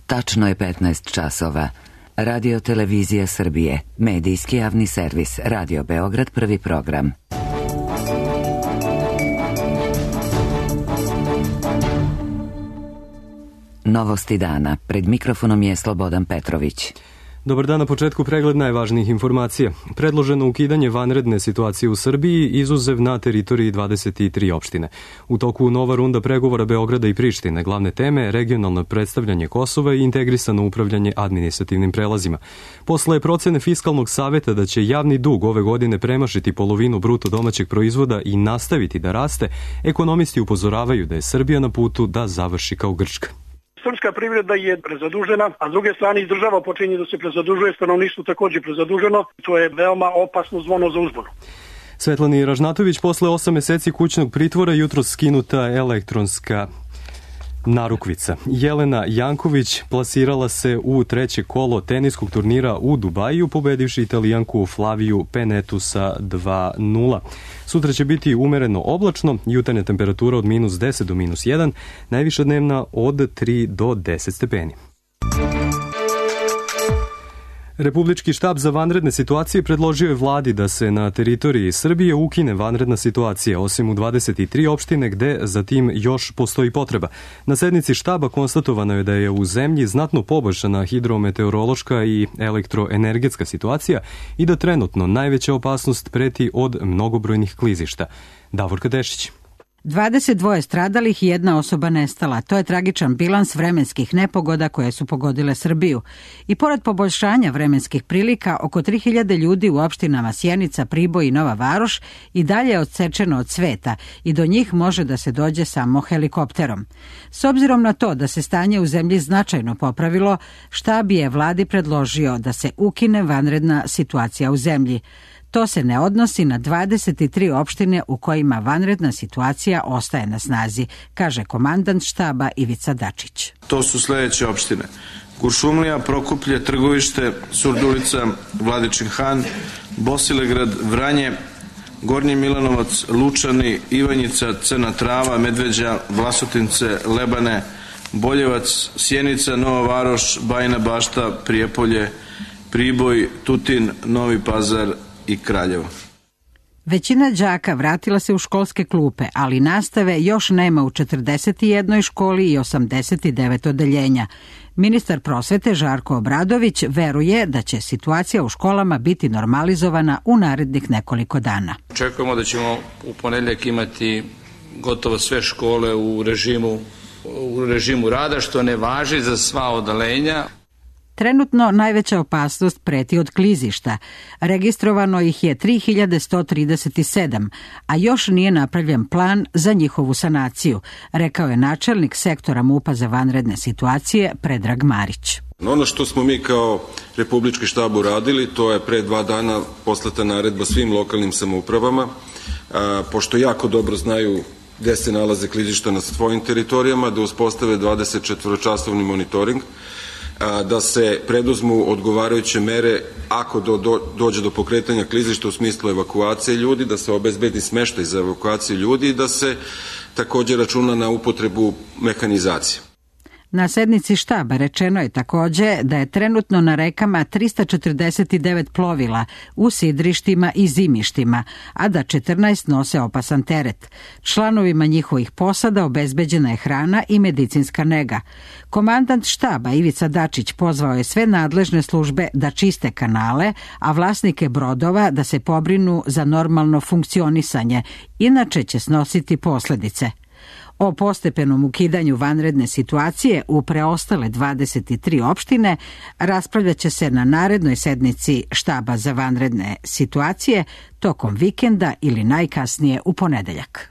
Tačno je 15 časova. Radio Televizija Srbije, medijski javni servis, Radio Beograd, prvi program. Novosti dana. Pred mikrofonom je Slobodan Petrović. Dobar dan, na početku pregled najvažnijih informacija. Predloženo ukidanje vanredne situacije u Srbiji, izuzev na teritoriji 23 opštine. U toku nova runda pregovora Beograda i Prištine, glavne teme regionalno predstavljanje Kosova i integrisano upravljanje administrativnim prelazima. Posle procene Fiskalnog saveta da će javni dug ove godine premašiti polovinu bruto domaćeg proizvoda i nastaviti da raste, ekonomisti upozoravaju da je Srbija na putu da završi kao Grčka. Srpska privreda je prezadužena, a s druge strane i država počinje da se prezadužuje, stanovništvo takođe prezaduženo. To je veoma opasno zvono za uzbunu. Svetlani Ražnatović posle 8 meseci kućnog pritvora jutros skinuta elektronska narukvica. Jelena Janković plasirala se u treće kolo teniskog turnira u Dubaju, pobedivši Italijanku Flaviju Penetu sa 2-0. Sutra će biti umereno oblačno, jutarnja temperatura od -10 do -1, najviša dnevna od 3 do 10 stepeni. Republički štab za vanredne situacije predložio je vladi da se na teritoriji Srbije ukine vanredna situacija, osim u 23 opštine gde za tim još postoji potreba. Na sednici štaba konstatovano je da je u zemlji znatno poboljšana hidrometeorološka i elektroenergetska situacija i da trenutno najveća opasnost preti od mnogobrojnih klizišta. Davorka Dešić. 22 stradalih i 1 osoba nestala. To je tragičan bilans vremenskih nepogoda koje su pogodile Srbiju. I pored poboljšanja vremenskih prilika, oko 3000 ljudi u opštinama Sjenica, Priboj i Nova Varoš i dalje je odsečeno od sveta i do njih može da se dođe samo helikopterom. S obzirom na to da se stanje u zemlji značajno popravilo, štab je vladi predložio da se ukine vanredna situacija u zemlji. To se ne odnosi na 23 opštine u kojima vanredna situacija ostaje na snazi, kaže komandant štaba Ivica Dačić. To su sledeće opštine: Kuršumlija, Prokuplje, Trgovište, Surdulica, Vladičin Han, Bosilegrad, Vranje, Gornji Milanovac, Lučani, Ivanjica, Crna Trava, Medveđa, Vlasotince, Lebane, Boljevac, Sjenica, Nova Varoš, Bajina Bašta, Prijepolje, Priboj, Tutin, Novi Pazar i Kraljevo. Većina đaka vratila se u školske klupe, ali nastave još nema u 41 školi i 89 odeljenja. Ministar prosvete Žarko Obradović veruje da će situacija u školama biti normalizovana u narednih nekoliko dana. Očekujemo da ćemo u ponedeljak imati gotovo sve škole u režimu rada, što ne važi za sva odeljenja. Trenutno najveća opasnost preti od klizišta. Registrovano ih je 3137, a još nije napravljen plan za njihovu sanaciju, rekao je načelnik sektora MUP-a za vanredne situacije Predrag Marić. Ono što smo mi kao Republički štab uradili, to je pre 2 dana poslata naredba svim lokalnim samoupravama, pošto jako dobro znaju gde se nalaze klizišta na svojim teritorijama, da uspostave 24-časovni monitoring, da se preduzmu odgovarajuće mere ako dođe do pokretanja klizišta u smislu evakuacije ljudi, da se obezbedi smeštaj za evakuaciju ljudi i da se takođe računa na upotrebu mehanizacije. Na sednici štaba rečeno je takođe da je trenutno na rekama 349 plovila u sidrištima i zimištima, a da 14 nose opasan teret. Članovima njihovih posada obezbeđena je hrana i medicinska nega. Komandant štaba Ivica Dačić pozvao je sve nadležne službe da čiste kanale, a vlasnike brodova da se pobrinu za normalno funkcionisanje, inače će snositi posledice. O postepenom ukidanju vanredne situacije u preostale 23 opštine raspravljat će se na narednoj sednici štaba za vanredne situacije tokom vikenda ili najkasnije u ponedeljak.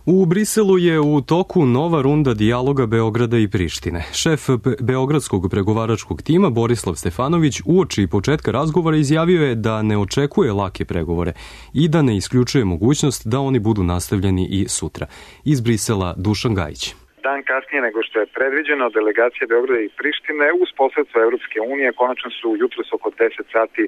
U Briselu je u toku nova runda dijaloga Beograda i Prištine. Šef beogradskog pregovaračkog tima Borislav Stefanović uoči početka razgovora izjavio je da ne očekuje lake pregovore i da ne isključuje mogućnost da oni budu nastavljeni i sutra. Iz Brisela Dušan Gajić. Dan kasnije nego što je predviđeno, delegacije Beograda i Prištine uz posredstvo Evropske unije konačno su jutros oko 10 sati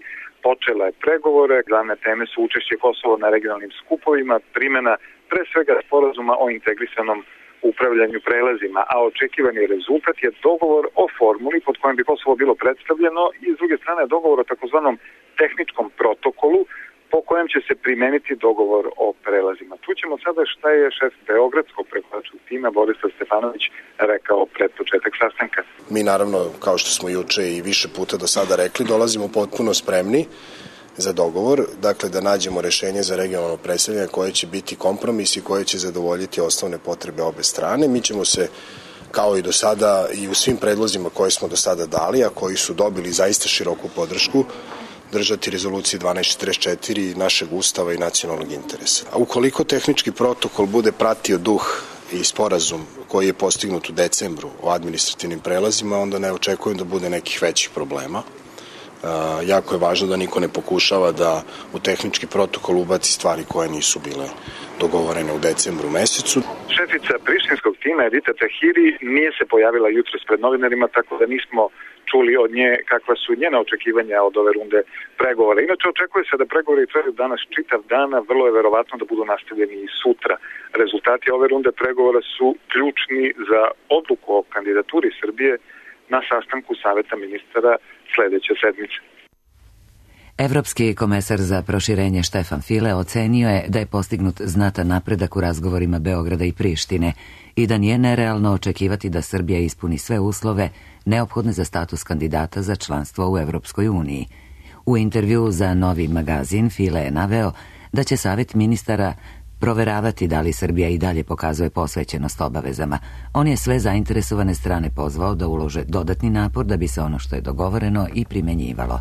počele pregovore. Glavne teme su učešće Kosova na regionalnim skupovima, primjena pre svega sporazuma o integrisanom upravljanju prelazima, a očekivani rezultat je dogovor o formuli pod kojim bi Kosovo bilo predstavljeno i s druge strane dogovor o takozvanom tehničkom protokolu po kojem će se primeniti dogovor o prelazima. Tu ćemo sada šta je šef beogradskog pregovaračkog tima Borislav Stefanović rekao pred početak sastanka. Mi naravno, kao što smo juče i više puta do sada rekli, dolazimo potpuno spremni za dogovor, dakle da nađemo rešenje za regionalno predstavljanje koje će biti kompromis i koje će zadovoljiti osnovne potrebe obe strane. Mi ćemo se, kao i do sada i u svim predlozima koje smo do sada dali, a koji su dobili zaista široku podršku, držati rezoluciji 1244 našeg ustava i nacionalnog interesa. A ukoliko tehnički protokol bude pratio duh i sporazum koji je postignut u decembru o administrativnim prelazima, onda ne očekujem da bude nekih većih problema. Jako je važno da niko ne pokušava da u tehnički protokol ubaci stvari koje nisu bile dogovorene u decembru mesecu. Šefica prištinskog tima Edita Tahiri nije se pojavila jutros pred novinarima, tako da nismo čuli od nje kakva su njena očekivanja od ove runde pregovora. Inače, očekuje se da pregovori traju danas čitav dan, a vrlo je verovatno da budu nastavljeni i sutra. Rezultati ove runde pregovora su ključni za odluku o kandidaturi Srbije na sastanku Saveta ministara sledeće sedmice. Evropski komesar za proširenje Štefan File ocenio je da je postignut znatan napredak u razgovorima Beograda i Prištine i da nije nerealno očekivati da Srbija ispuni sve uslove neophodne za status kandidata za članstvo u Evropskoj uniji. U intervjuu za Novi magazin File je naveo da će Savet ministara proveravati da li Srbija i dalje pokazuje posvećenost obavezama. On je sve zainteresovane strane pozvao da ulože dodatni napor da bi se ono što je dogovoreno i primenjivalo.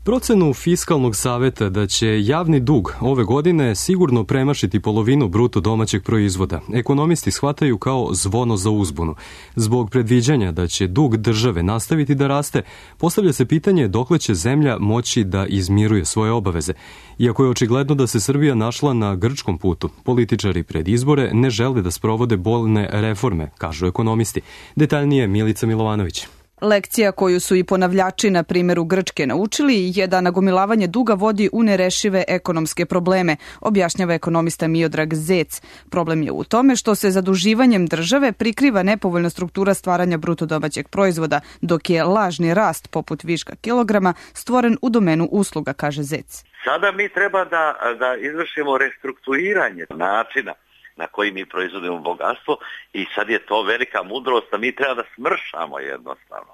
Procenu Fiskalnog saveta da će javni dug ove godine sigurno premašiti polovinu bruto domaćeg proizvoda ekonomisti shvataju kao zvono za uzbunu. Zbog predviđanja da će dug države nastaviti da raste, postavlja se pitanje dokle će zemlja moći da izmiruje svoje obaveze. Iako je očigledno da se Srbija našla na grčkom putu, političari pred izbore ne žele da sprovode bolne reforme, kažu ekonomisti. Detaljnije Milica Milovanović. Lekcija koju su i ponavljači na primjeru Grčke naučili je da nagomilavanje duga vodi u nerešive ekonomske probleme, objašnjava ekonomista Miodrag Zec. Problem je u tome što se zaduživanjem države prikriva nepovoljna struktura stvaranja bruto domaćeg proizvoda, dok je lažni rast poput viška kilograma stvoren u domenu usluga, kaže Zec. Sada mi treba da izvršimo restrukturiranje načina na koji mi proizvodimo bogatstvo i sad je to velika mudrost da mi treba da smršamo jednostavno.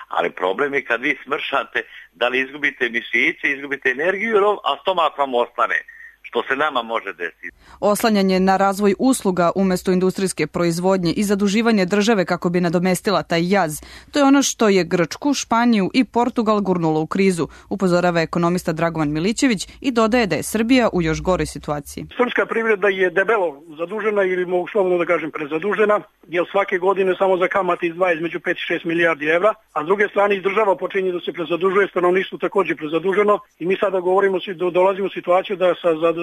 Ali problem je kad vi smršate, da li izgubite mišiće, izgubite energiju, a stomak vam ostane, što se nama može desiti. Oslanjanje na razvoj usluga umjesto industrijske proizvodnje i zaduživanje države kako bi nadomestila taj jaz, to je ono što je Grčku, Španiju i Portugal gurnulo u krizu, upozorava ekonomista Dragovan Milićević i dodaje da je Srbija u još goroj situaciji. Srpska privreda je debelo zadužena ili mogu slobodno da kažem prezadužena, jer svake godine samo za kamate izdvaja između 5 i 6 milijardi evra, a s druge strane država počinje da se prezadužuje, stanovništvo također prezaduženo i mi sada dolazimo u situaciju da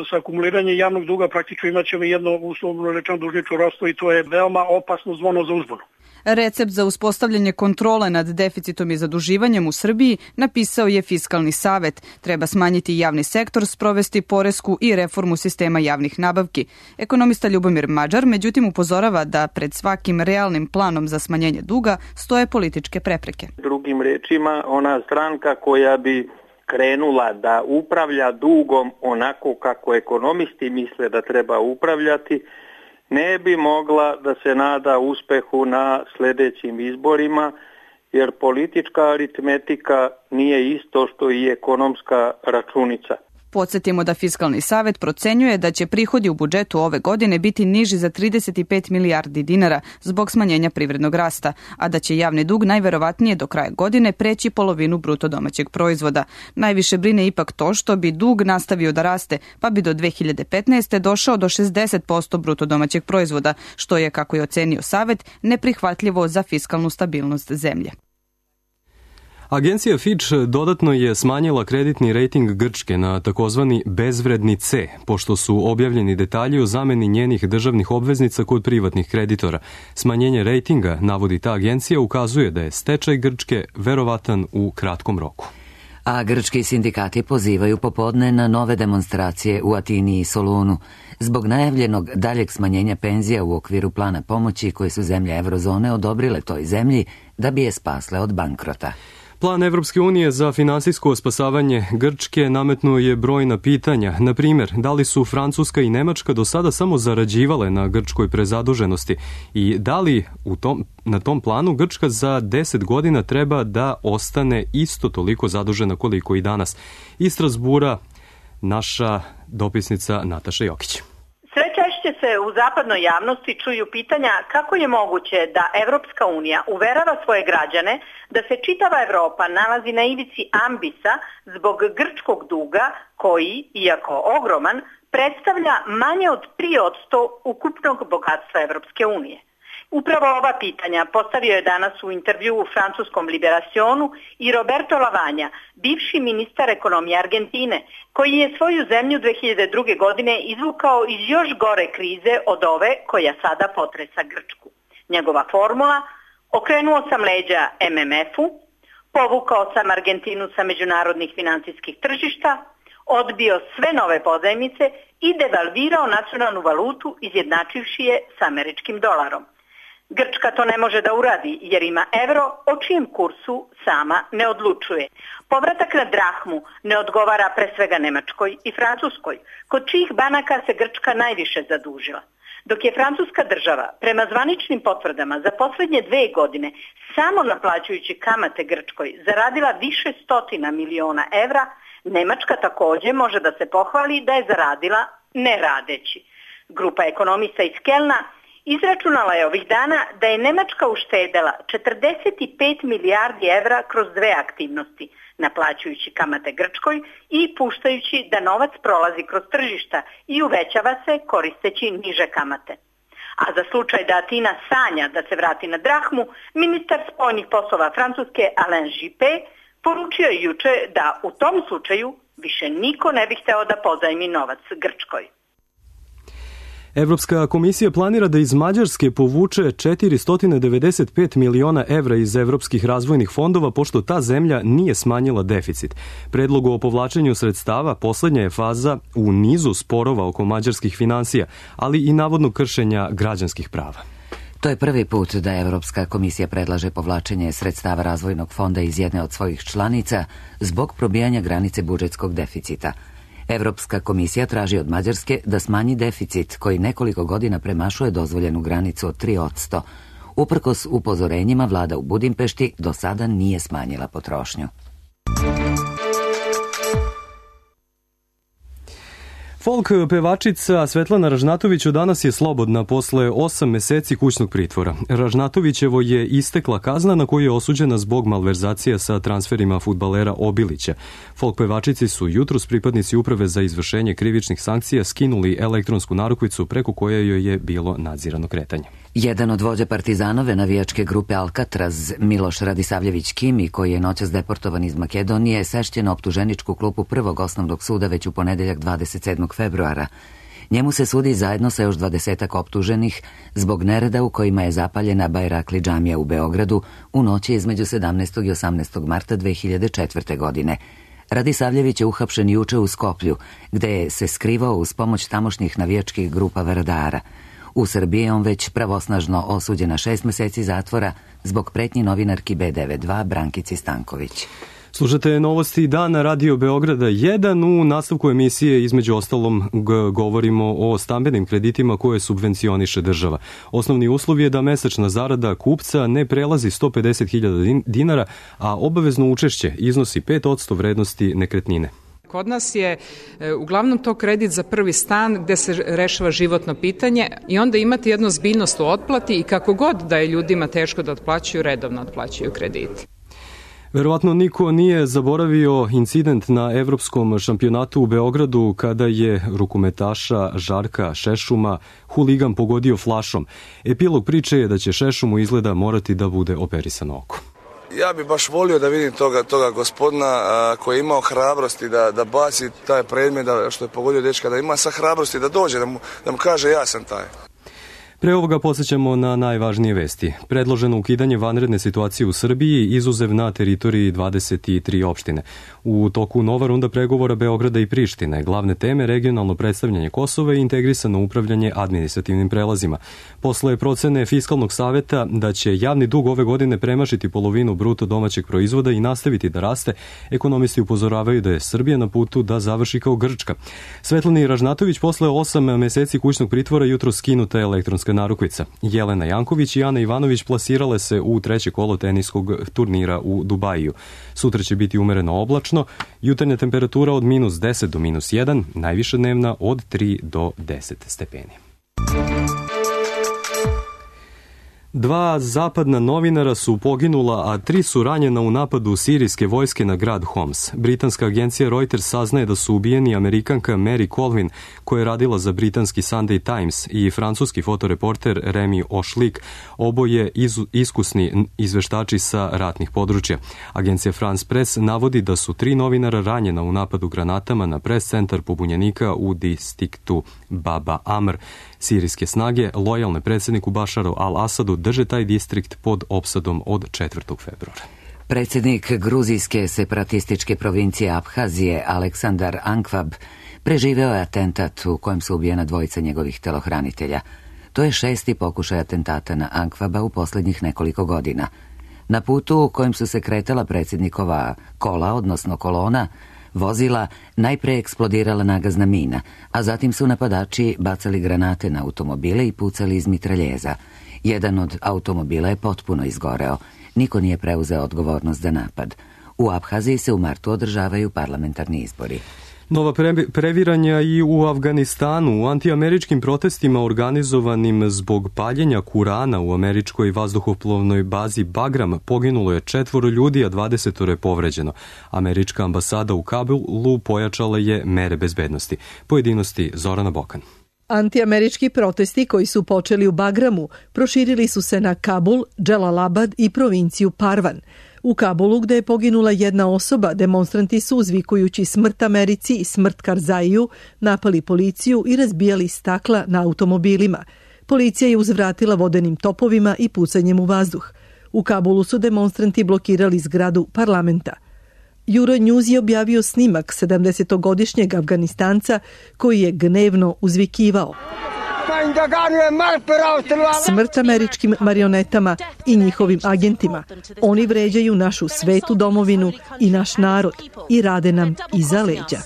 sa akumuliranjem javnog duga praktično imat ćemo jedno uslovno rečeno dužničko ropstvo i to je veoma opasno zvono za uzbunu. Recept za uspostavljanje kontrole nad deficitom i zaduživanjem u Srbiji napisao je Fiskalni savet. Treba smanjiti javni sektor, sprovesti poresku i reformu sistema javnih nabavki. Ekonomista Ljubomir Mađar međutim upozorava da pred svakim realnim planom za smanjenje duga stoje političke prepreke. Drugim rečima, ona stranka koja bi krenula da upravlja dugom onako kako ekonomisti misle da treba upravljati, ne bi mogla da se nada uspehu na sljedećim izborima, jer politička aritmetika nije isto što i ekonomska računica. Podsjetimo da Fiskalni savet procenjuje da će prihodi u budžetu ove godine biti niži za 35 milijardi dinara zbog smanjenja privrednog rasta, a da će javni dug najverovatnije do kraja godine preći polovinu bruto domaćeg proizvoda. Najviše brine ipak to što bi dug nastavio da raste, pa bi do 2015. došao do 60% bruto domaćeg proizvoda, što je, kako je ocenio savet, neprihvatljivo za fiskalnu stabilnost zemlje. Agencija Fitch dodatno je smanjila kreditni rejting Grčke na takozvani bezvredni C, pošto su objavljeni detalji o zameni njenih državnih obveznica kod privatnih kreditora. Smanjenje rejtinga, navodi ta agencija, ukazuje da je stečaj Grčke verovatan u kratkom roku. A grčki sindikati pozivaju popodne na nove demonstracije u Atini i Solunu zbog najavljenog daljeg smanjenja penzija u okviru plana pomoći koje su zemlje eurozone odobrile toj zemlji da bi je spasle od bankrota. Plan Evropske unije za finansijsko spasavanje Grčke nametnuo je brojna pitanja. Na primjer, da li su Francuska i Nemačka do sada samo zarađivale na grčkoj prezaduženosti i da li na tom planu Grčka za 10 godina treba da ostane isto toliko zadužena koliko i danas. Iz Strasbura naša dopisnica Nataša Jokić. Sve češće se u zapadnoj javnosti čuju pitanja kako je moguće da Evropska unija uverava svoje građane da se čitava Evropa nalazi na ivici ambisa zbog grčkog duga koji, iako ogroman, predstavlja manje od 3% ukupnog bogatstva Evropske unije. Upravo ova pitanja postavio je danas u intervju u francuskom Liberationu i Roberto Lavagna, bivši ministar ekonomije Argentine, koji je svoju zemlju 2002. godine izvukao iz još gore krize od ove koja sada potresa Grčku. Njegova formula: okrenuo sam leđa MMF-u, povukao sam Argentinu sa međunarodnih financijskih tržišta, odbio sve nove pozajmice i devalvirao nacionalnu valutu izjednačivši je s američkim dolarom. Grčka to ne može da uradi jer ima evro o čijem kursu sama ne odlučuje. Povratak na drahmu ne odgovara pre svega Nemačkoj i Francuskoj, kod čijih banaka se Grčka najviše zadužila. Dok je francuska država prema zvaničnim potvrdama za posljednje 2 godine samo naplaćujući kamate Grčkoj zaradila više stotina miliona evra, Nemačka također može da se pohvali da je zaradila ne radeći. Grupa ekonomista iz Kelna izračunala je ovih dana da je Nemačka uštedela 45 milijardi evra kroz 2 aktivnosti, naplaćujući kamate Grčkoj i puštajući da novac prolazi kroz tržišta i uvećava se koristeći niže kamate. A za slučaj da Atina sanja da se vrati na drahmu, ministar spoljnih poslova Francuske Alain Juppé poručio je juče da u tom slučaju više niko ne bi hteo da pozajmi novac Grčkoj. Evropska komisija planira da iz Mađarske povuče 495 miliona evra iz evropskih razvojnih fondova, pošto ta zemlja nije smanjila deficit. Predlog o povlačenju sredstava poslednja je faza u nizu sporova oko mađarskih finansija, ali i navodnog kršenja građanskih prava. To je prvi put da Evropska komisija predlaže povlačenje sredstava razvojnog fonda iz jedne od svojih članica zbog probijanja granice budžetskog deficita. Evropska komisija traži od Mađarske da smanji deficit koji nekoliko godina premašuje dozvoljenu granicu od 3%. Uprkos upozorenjima, vlada u Budimpešti do sada nije smanjila potrošnju. Folk pevačica Svetlana Ražnatović danas je slobodna posle 8 meseci kućnog pritvora. Ražnatovićevo je istekla kazna na koju je osuđena zbog malverzacija sa transferima fudbalera Obilića. Folk pevačici su jutros pripadnici Uprave za izvršenje krivičnih sankcija skinuli elektronsku narukvicu preko koje joj je bilo nadzirano kretanje. Jedan od vođa Partizanove navijačke grupe Alcatraz, Miloš Radisavljević Kimi, koji je noćas deportovan iz Makedonije, sešćen na optuženičku klupu Prvog osnovnog suda već u ponedeljak 27. februara. Njemu se sudi zajedno sa još 20 optuženih zbog nereda u kojima je zapaljena Bajrakli džamija u Beogradu u noći između 17. i 18. marta 2004. godine. Radisavljević je uhapšen juče u Skoplju, gde je se skrivao uz pomoć tamošnjih navijačkih grupa Vardara. U Srbiji je on već pravosnažno osuđen na 6 meseci zatvora zbog pretnji novinarki B92 Brankici Stanković. Slušate novosti dana Radio Beograda 1. U nastavku emisije između ostalom govorimo o stambenim kreditima koje subvencioniše država. Osnovni uslov je da mesečna zarada kupca ne prelazi 150.000 dinara, a obavezno učešće iznosi 5% vrednosti nekretnine. Kod nas je uglavnom to kredit za prvi stan gde se rešava životno pitanje i onda imate jednu zbiljnost u otplati i kako god da je ljudima teško da otplaćuju, redovno otplaćuju krediti. Verovatno niko nije zaboravio incident na evropskom šampionatu u Beogradu kada je rukometaša Žarka Šešuma huligan pogodio flašom. Epilog priče je da će Šešumu izgleda morati da bude operisano oko. Ja bih baš volio da vidim toga gospodina koji je imao hrabrosti da baci taj predmet, što je pogodio dečka, da ima sa hrabrosti da dođe, da mu kaže ja sam taj. Pre ovoga podsjećamo na najvažnije vesti. Predloženo ukidanje vanredne situacije u Srbiji, izuzev na teritoriji 23 opštine. U toku nova runda pregovora Beograda i Prištine. Glavne teme regionalno predstavljanje Kosova i integrisano upravljanje administrativnim prelazima. Posle procene Fiskalnog saveta da će javni dug ove godine premašiti polovinu bruto domaćeg proizvoda i nastaviti da raste, ekonomisti upozoravaju da je Srbija na putu da završi kao Grčka. Svetlani Ražnatović posle 8 meseci kućnog pritvora jutro skinuta elektronska narukvica. Jelena Janković i Ana Ivanović plasirale se u treće kolo teniskog turnira u Dubaju. Sutra će biti umereno oblačno, jutarnja temperatura od -10 do -1, najviša dnevna od 3 do 10 stepeni. 2 zapadna novinara su poginula, a 3 su ranjena u napadu sirijske vojske na grad Homs. Britanska agencija Reuters saznaje da su ubijeni Amerikanka Mary Colvin, koja je radila za britanski Sunday Times, i francuski fotoreporter Remy Ošlik, oboje iskusni izveštači sa ratnih područja. Agencija France Press navodi da su 3 novinara ranjena u napadu granatama na pres centar pobunjenika u distriktu Baba Amr. Sirijske snage, lojalne predsjedniku Bašaru al-Asadu, drže taj distrikt pod opsadom od 4. februara. Predsjednik gruzijske separatističke provincije Abhazije Aleksandar Ankvab preživeo je atentat u kojem su ubijena dvojica njegovih telohranitelja. To je 6. pokušaj atentata na Ankvaba u posljednjih nekoliko godina. Na putu u kojem su se kretala predsjednikova kola, odnosno kolona, vozila, najpre eksplodirala nagazna mina, a zatim su napadači bacali granate na automobile i pucali iz mitraljeza. Jedan od automobila je potpuno izgoreo. Niko nije preuzeo odgovornost za napad. U Abhaziji se u martu održavaju parlamentarni izbori. Nova previranja i u Afganistanu. U antiameričkim protestima organizovanim zbog paljenja Kurana u američkoj vazduhoplovnoj bazi Bagram poginulo je 4 ljudi, a 20 je povređeno. Američka ambasada u Kabulu pojačala je mere bezbednosti. Pojedinosti Zorana Bokan. Antiamerički protesti koji su počeli u Bagramu proširili su se na Kabul, Dželalabad i provinciju Parvan. U Kabulu, gde je poginula jedna osoba, demonstranti su, uzvikujući smrt Americi i smrt Karzaiju, napali policiju i razbijali stakla na automobilima. Policija je uzvratila vodenim topovima i pucanjem u vazduh. U Kabulu su demonstranti blokirali zgradu parlamenta. Euronews je objavio snimak 70-godišnjeg Afganistanca koji je gnevno uzvikivao: smrt američkim marionetama i njihovim agentima. Oni vređaju našu svetu domovinu i naš narod i rade nam iza leđa.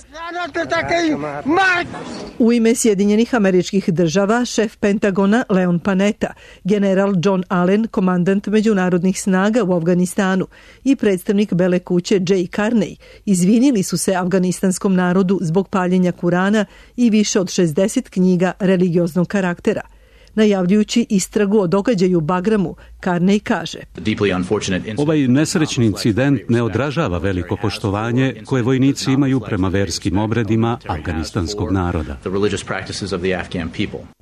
U ime Sjedinjenih Američkih Država, šef Pentagona Leon Panetta, general John Allen, komandant međunarodnih snaga u Afganistanu, i predstavnik Bele kuće Jay Carney izvinili su se afganistanskom narodu zbog paljenja Kurana i više od 60 knjiga religioznog karaktera. Najavljujući istragu o događaju u Bagramu, Carney kaže: ovaj nesrećni incident ne odražava veliko poštovanje koje vojnici imaju prema verskim obredima afganistanskog naroda.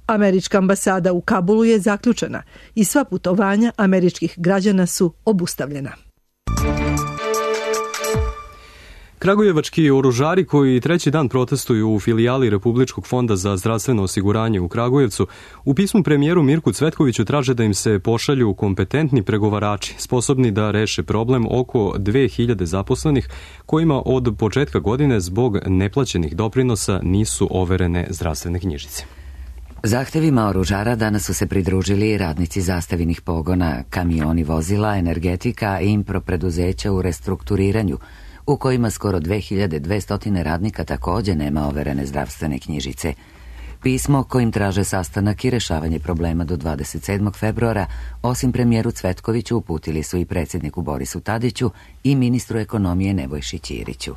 Američka ambasada u Kabulu je zaključana i sva putovanja američkih građana su obustavljena. Kragujevački oružari koji treći dan protestuju u filijali Republičkog fonda za zdravstveno osiguranje u Kragujevcu u pismu premijeru Mirku Cvetkoviću traže da im se pošalju kompetentni pregovarači, sposobni da reše problem oko 2000 zaposlenih kojima od početka godine zbog neplaćenih doprinosa nisu overene zdravstvene knjižice. Zahtevima oružara danas su se pridružili radnici zastavinih pogona, kamioni vozila, energetika i impro preduzeća u restrukturiranju, u kojima skoro 2200 radnika također nema overene zdravstvene knjižice. Pismo kojim traže sastanak i rešavanje problema do 27. februara, osim premijeru Cvetkoviću, uputili su i predsjedniku Borisu Tadiću i ministru ekonomije Nebojši Ćiriću.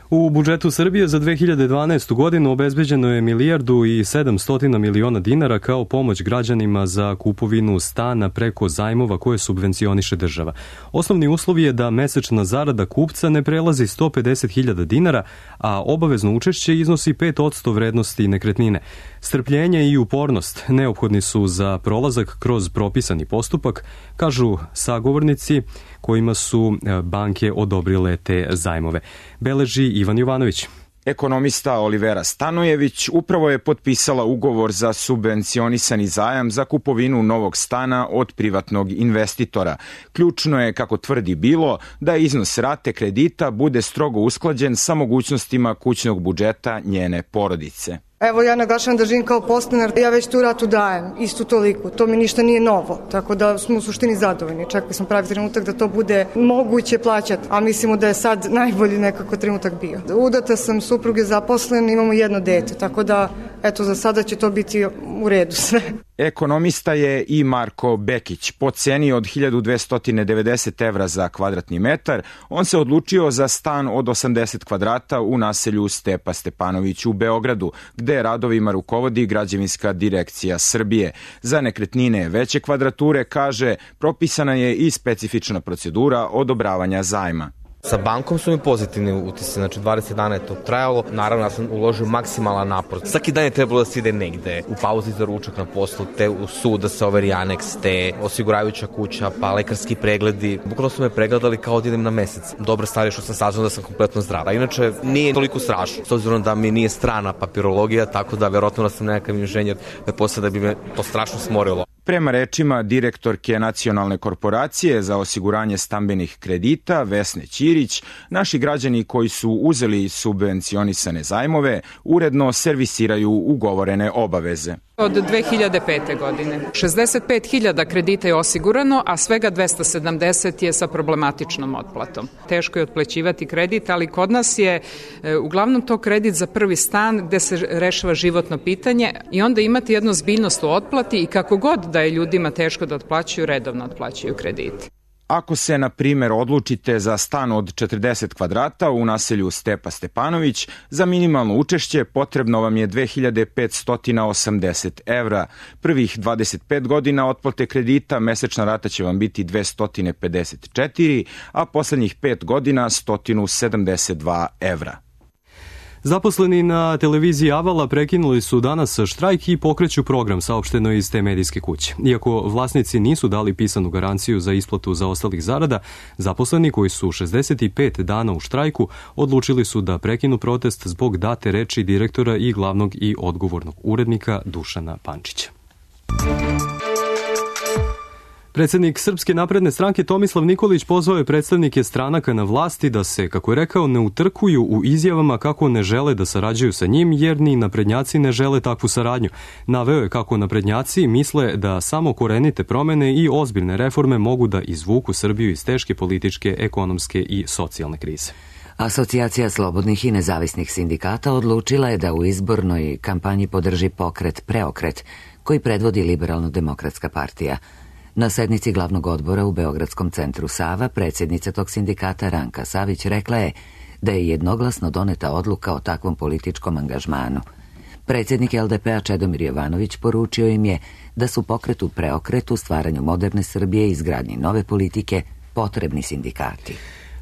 U budžetu Srbije za 2012. godinu obezbeđeno je 1.700 miliona dinara kao pomoć građanima za kupovinu stana preko zajmova koje subvencioniše država. Osnovni uslov je da mesečna zarada kupca ne prelazi 150.000 dinara, a obavezno učešće iznosi 5% vrednosti nekretnine. Strpljenje i upornost neophodni su za prolazak kroz propisani postupak, kažu sagovornici kojima su banke odobrile te zajmove. Beleži Ivan Jovanović. Ekonomista Olivera Stanojević upravo je potpisala ugovor za subvencionisani zajam za kupovinu novog stana od privatnog investitora. Ključno je, kako tvrdi, bilo da iznos rate kredita bude strogo usklađen sa mogućnostima kućnog budžeta njene porodice. Evo, ja naglašavam da živim kao podstanar, ja već tu ratu dajem, istu toliku, to mi ništa nije novo, tako da smo u suštini zadovoljni. Čekali smo pravi trenutak da to bude moguće plaćati, a mislimo da je sad najbolji nekako trenutak bio. Udata sam, suprug je zaposlen, imamo jedno dete, tako da, eto, za sada će to biti u redu sve. Ekonomista je i Marko Bekić. Po ceni od 1290 evra za kvadratni metar, on se odlučio za stan od 80 kvadrata u naselju Stepa Stepanović u Beogradu, gde radovima rukovodi Građevinska direkcija Srbije. Za nekretnine veće kvadrature, kaže, propisana je i specifična procedura odobravanja zajma. Sa bankom su mi pozitivni utisci, znači 20 dana je to trajalo. Naravno, ja sam uložio maksimalan napor. Svaki dan je trebalo da se ide negde, u pauzi za ručak na poslu, te u sud da se overi aneks, te osiguravajuća kuća, pa lekarski pregledi. Bukvalno su me pregledali kao da idem na mesec. Dobra stvar je što sam saznao da sam kompletno zdrav. A inače, nije toliko strašno, s obzirom da mi nije strana papirologija, tako da verovatno da sam nekakav inženjer, da bi me to strašno smorilo. Prema rečima direktorke Nacionalne korporacije za osiguranje stambenih kredita Vesne Ćirić, naši građani koji su uzeli subvencionisane zajmove uredno servisiraju ugovorene obaveze. Od 2005. godine. 65.000 kredita je osigurano, a svega 270 je sa problematičnom otplatom. Teško je otplaćivati kredit, ali kod nas je uglavnom to kredit za prvi stan gde se rešava životno pitanje i onda imate jednu zbiljnost u otplati i kako god da je ljudima teško da otplaćuju, redovno otplaćuju kredit. Ako se, na primjer, odlučite za stan od 40 kvadrata u naselju Stepa Stepanović, za minimalno učešće potrebno vam je 2580 evra. Prvih 25 godina otplate kredita mesečna rata će vam biti 254, a poslednjih 5 godina 172 evra. Zaposleni na televiziji Avala prekinuli su danas štrajk i pokreću program, saopšteno iz te medijske kuće. Iako vlasnici nisu dali pisanu garanciju za isplatu zaostalih zarada, zaposleni koji su 65 dana u štrajku odlučili su da prekinu protest zbog date reči direktora i glavnog i odgovornog urednika Dušana Pančića. Predsednik Srpske napredne stranke Tomislav Nikolić pozvao je predstavnike stranaka na vlasti da se, kako je rekao, ne utrkuju u izjavama kako ne žele da sarađuju sa njim, jer ni naprednjaci ne žele takvu saradnju. Naveo je kako naprednjaci misle da samo korenite promene i ozbiljne reforme mogu da izvuku Srbiju iz teške političke, ekonomske i socijalne krize. Asocijacija slobodnih i nezavisnih sindikata odlučila je da u izbornoj kampanji podrži pokret Preokret, koji predvodi Liberalno-demokratska partija. Na sednici glavnog odbora u Beogradskom centru Sava, predsjednica tog sindikata Ranka Savić rekla je da je jednoglasno doneta odluka o takvom političkom angažmanu. Predsjednik LDP-a Čedomir Jovanović poručio im je da su pokretu Preokretu, stvaranju moderne Srbije i izgradnji nove politike potrebni sindikati.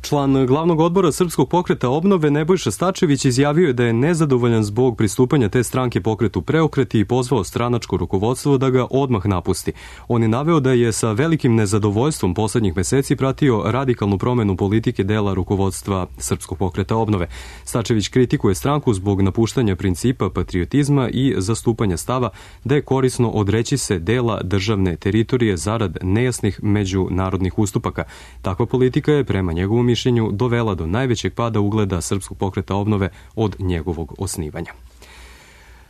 Član glavnog odbora Srpskog pokreta obnove Nebojša Stačević izjavio je da je nezadovoljan zbog pristupanja te stranke pokretu Preokret i pozvao stranačko rukovodstvo da ga odmah napusti. On je naveo da je sa velikim nezadovoljstvom poslednjih meseci pratio radikalnu promenu politike dela rukovodstva Srpskog pokreta obnove. Stačević kritikuje stranku zbog napuštanja principa patriotizma i zastupanja stava da je korisno odreći se dela državne teritorije zarad nejasnih međunarodnih ustupaka. Takva politika je prema njegovom mišljenju dovela do najvećeg pada ugleda Srpskog pokreta obnove od njegovog osnivanja.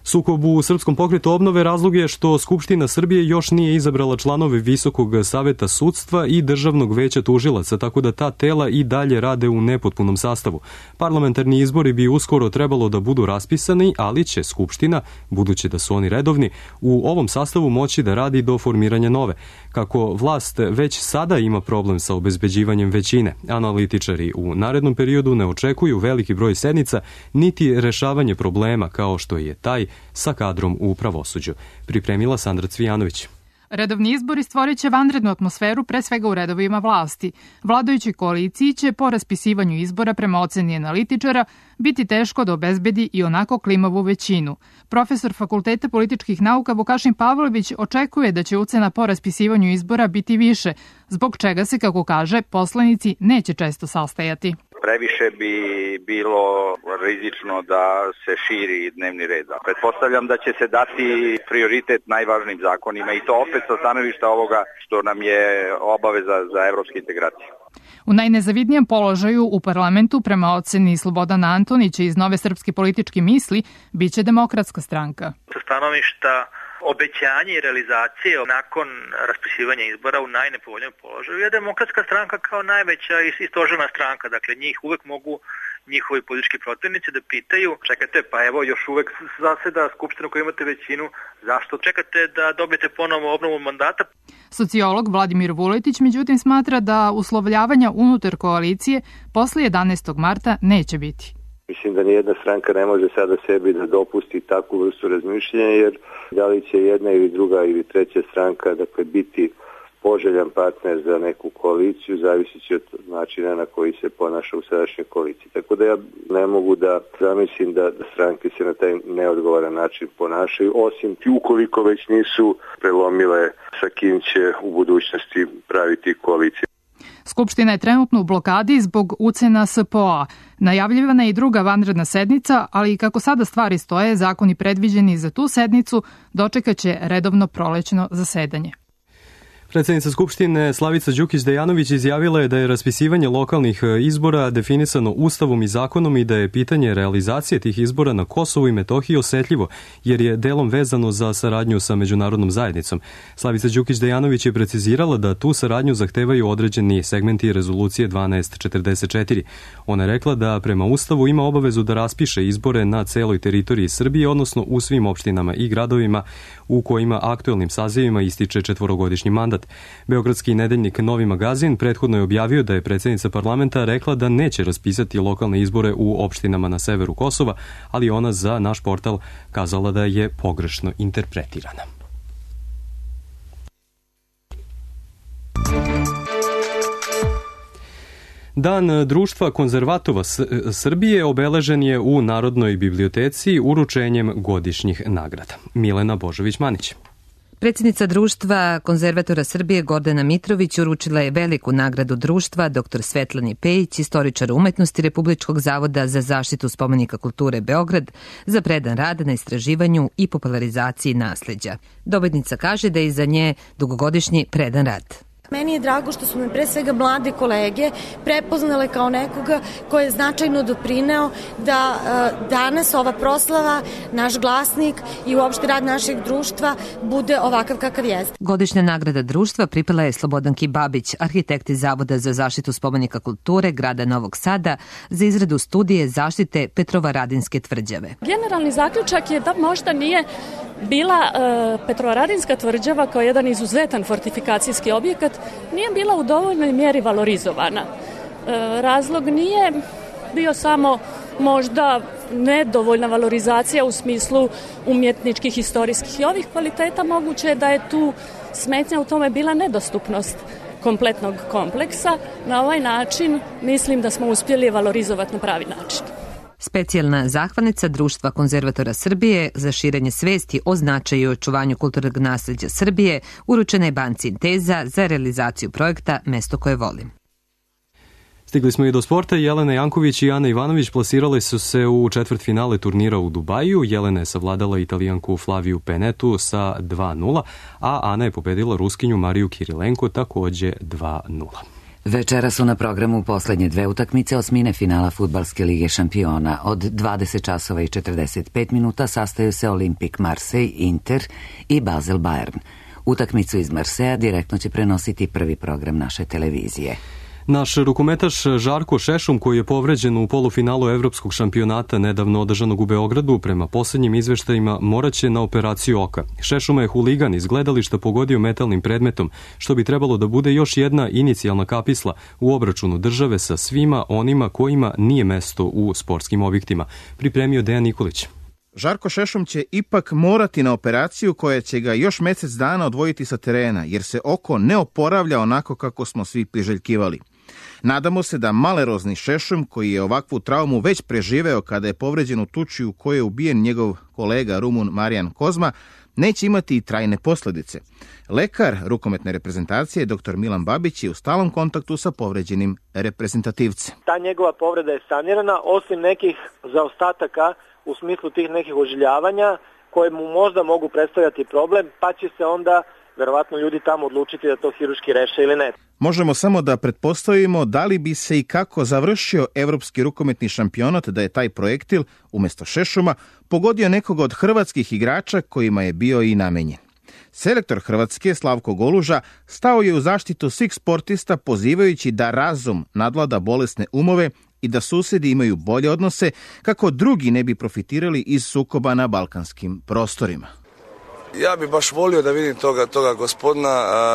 Sukob u Srpskom pokretu obnove razlog je što Skupština Srbije još nije izabrala članove Visokog saveta sudstva i Državnog veća tužilaca, tako da ta tela i dalje rade u nepotpunom sastavu. Parlamentarni izbori bi uskoro trebalo da budu raspisani, ali će Skupština, budući da su oni redovni, u ovom sastavu moći da radi do formiranja nove. Kako vlast već sada ima problem sa obezbeđivanjem većine, analitičari u narednom periodu ne očekuju veliki broj sednica, niti rešavanje problema kao što je taj sa kadrom u pravosuđu. Pripremila Sandra Cvijanović. Redovni izbori stvorit će vanrednu atmosferu, pre svega u redovima vlasti. Vladajućoj koaliciji će po raspisivanju izbora prema oceni analitičara biti teško da obezbedi i onako klimavu većinu. Profesor Fakulteta političkih nauka Vukašin Pavlović očekuje da će ucena po raspisivanju izbora biti više, zbog čega se, kako kaže, poslanici neće često sastajati. previše bi bilo rizično da se širi dnevni red. Pretpostavljam da će se dati prioritet najvažnijim zakonima i to opet sa stanovišta ovoga što nam je obaveza za evropske integracije. U najnezavidnijem položaju u parlamentu, prema oceni Slobodana Antonića iz Nove srpske političke misli, biće Demokratska stranka. Sa stanovišta obećanje i realizacije nakon raspisivanja izbora u najnepovoljnijem položaju je Demokratska stranka kao najveća i stožerna stranka. Dakle, njih uvek mogu njihovi politički protivnici da pitaju, čekajte, pa evo još uvek zaseda Skupština koju imate većinu, zašto čekate da dobijete ponovo obnovu mandata? Sociolog Vladimir Vuletić međutim smatra da uslovljavanja unutar koalicije posle 11. marta neće biti. Mislim da nijedna stranka ne može sada sebi da dopusti takvu vrstu razmišljanja, jer da li će jedna ili druga ili treća stranka biti poželjan partner za neku koaliciju, zavisići od načina na koji se ponaša u sadašnjoj koaliciji. Tako da ja ne mogu da zamislim da stranke se na taj neodgovoran način ponašaju, osim ukoliko već nisu prelomile sa kim će u budućnosti praviti koaliciju. Skupština je trenutno u blokadi zbog ucena SPO-a. Najavljivana je i druga vanredna sednica, ali kako sada stvari stoje, zakoni predviđeni za tu sednicu dočekaće redovno prolećno zasedanje. Predsednica Skupštine Slavica Đukić-Dejanović izjavila je da je raspisivanje lokalnih izbora definisano Ustavom i zakonom i da je pitanje realizacije tih izbora na Kosovu i Metohiji osetljivo, jer je delom vezano za saradnju sa međunarodnom zajednicom. Slavica Đukić-Dejanović je precizirala da tu saradnju zahtevaju određeni segmenti rezolucije 1244. Ona je rekla da prema Ustavu ima obavezu da raspiše izbore na celoj teritoriji Srbije, odnosno u svim opštinama i gradovima u kojima aktuelnim sazivima ističe 4-godišnji mandat. Beogradski nedeljnik Novi magazin prethodno je objavio da je predsednica parlamenta rekla da neće raspisati lokalne izbore u opštinama na severu Kosova, ali ona za naš portal kazala da je pogrešno interpretirana. Dan Društva konzervatora Srbije obeležen je u Narodnoj biblioteci uručenjem godišnjih nagrada. Milena Božović-Manić. Predsjednica Društva konzervatora Srbije Gordana Mitrović uručila je veliku nagradu društva dr. Svetlani Pejić, istoričar umetnosti Republičkog zavoda za zaštitu spomenika kulture Beograd, za predan rad na istraživanju i popularizaciji nasleđa. Dobitnica kaže da je iza nje dugogodišnji predan rad. Meni je drago što su me pre svega mlade kolege prepoznale kao nekoga koji je značajno doprineo da danas ova proslava, naš glasnik i uopšte rad našeg društva bude ovakav kakav jeste. Godišnja nagrada društva pripala je Slobodanki Babić, arhitekti Zavoda za zaštitu spomenika kulture grada Novog Sada, za izradu studije zaštite Petrovaradinske tvrđave. Generalni zaključak je da možda nije bila Petrovaradinska tvrđava kao jedan izuzetan fortifikacijski objekat, nije bila u dovoljnoj mjeri valorizovana. Razlog nije bio samo možda nedovoljna valorizacija u smislu umjetničkih, historijskih i ovih kvaliteta, moguće je da je tu smetnja u tome bila nedostupnost kompletnog kompleksa. Na ovaj način mislim da smo uspjeli valorizovati na pravi način. Specijalna zahvalnica Društva konzervatora Srbije za širenje svesti o značaju i očuvanju kulturnog nasleđa Srbije uručena je banci Inteza za realizaciju projekta Mesto koje volim. Stigli smo i do sporta. Jelena Janković i Ana Ivanović plasirale su se u četvrtfinale turnira u Dubaju. Jelena je savladala Italijanku Flaviju Penetu sa 2-0, a Ana je pobedila Ruskinju Mariju Kirilenko takođe 2-0. Večera su na programu poslednje dve utakmice osmine finala Fudbalske lige šampiona. Od 20 časova i 45 minuta sastaju se Olimpik Marseille, Inter i Basel Bayern. Utakmicu iz Marseja direktno će prenositi prvi program naše televizije. Naš rukometaš Žarko Šešum, koji je povređen u polufinalu evropskog šampionata nedavno održanog u Beogradu, prema posljednjim izveštajima moraće na operaciju oka. Šešuma je huligan iz gledališta pogodio metalnim predmetom, što bi trebalo da bude još jedna inicijalna kapisla u obračunu države sa svima onima kojima nije mesto u sportskim objektima. Pripremio Dejan Nikolić. Žarko Šešum će ipak morati na operaciju koja će ga još mesec dana odvojiti sa terena, jer se oko ne oporavlja onako kako smo svi priželjkivali. Nadamo se da malerozni Šešum, koji je ovakvu traumu već preživeo kada je povređen u tuči u kojoj je ubijen njegov kolega Rumun Marijan Kozma, neće imati i trajne posljedice. Lekar rukometne reprezentacije, dr. Milan Babić, je u stalnom kontaktu sa povređenim reprezentativcem. Ta njegova povreda je sanirana, osim nekih zaostataka u smislu tih nekih ožiljavanja koje mu možda mogu predstavljati problem, pa će se onda verovatno ljudi tamo odlučiti da to hirurški reše ili ne. Možemo samo da pretpostavimo da li bi se i kako završio evropski rukometni šampionat da je taj projektil, umjesto šešuma, pogodio nekog od hrvatskih igrača kojima je bio i namenjen. Selektor Hrvatske, Slavko Goluža, stao je u zaštitu svih sportista pozivajući da razum nadvlada bolesne umove i da susjedi imaju bolje odnose kako drugi ne bi profitirali iz sukoba na balkanskim prostorima. Ja bi baš volio da vidim toga gospodina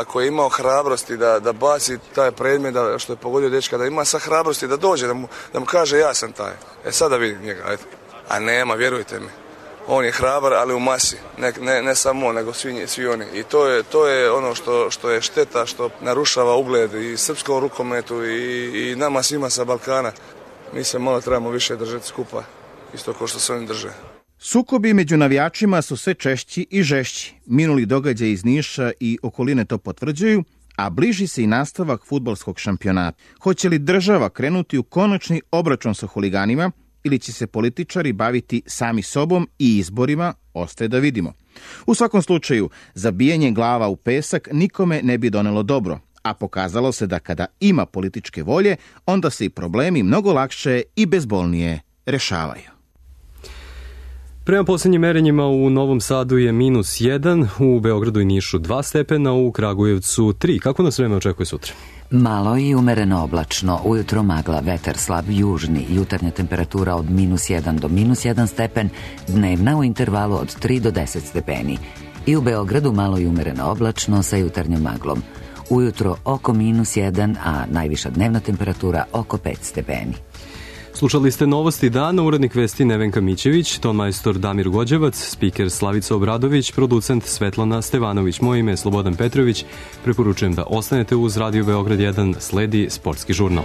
koji je imao hrabrosti da baci taj predmet, što je pogodio dečka, da ima sa hrabrosti da dođe, da mu kaže ja sam taj. Sada vidim njega, ajde. A nema, vjerujte mi. On je hrabar, ali u masi. Ne samo on, nego svi oni. I to je ono što je šteta, što narušava ugled i srpskom rukometu i nama svima sa Balkana. Mi se malo trebamo više držati skupa, isto kao što se oni drže. Sukobi među navijačima su sve češći i žešći. Minuli događaj iz Niša i okoline to potvrđuju, a bliži se i nastavak fudbalskog šampionata. Hoće li država krenuti u konačni obračun sa huliganima ili će se političari baviti sami sobom i izborima, ostaje da vidimo. U svakom slučaju, zabijanje glava u pesak nikome ne bi donelo dobro, a pokazalo se da kada ima političke volje, onda se i problemi mnogo lakše i bezbolnije rešavaju. Prema posljednjim merenjima u Novom Sadu je -1, u Beogradu i Nišu 2 stepena, u Kragujevcu 3. Kako nas vreme očekuje sutra? Malo i umereno oblačno, ujutro magla, vetar slab južni, jutarnja temperatura od -1 do -1 stepen, dnevna u intervalu od 3 do 10 stepeni. I u Beogradu malo i umereno oblačno sa jutarnjom maglom. Ujutro oko -1, a najviša dnevna temperatura oko 5 stepeni. Slušali ste novosti dana, urednik vesti Nevenka Mićević, tonmajstor Damir Gođevac, spiker Slavica Obradović, producent Svetlana Stevanović. Moje ime je Slobodan Petrović. Preporučujem da ostanete uz Radio Beograd 1, sledi sportski žurnal.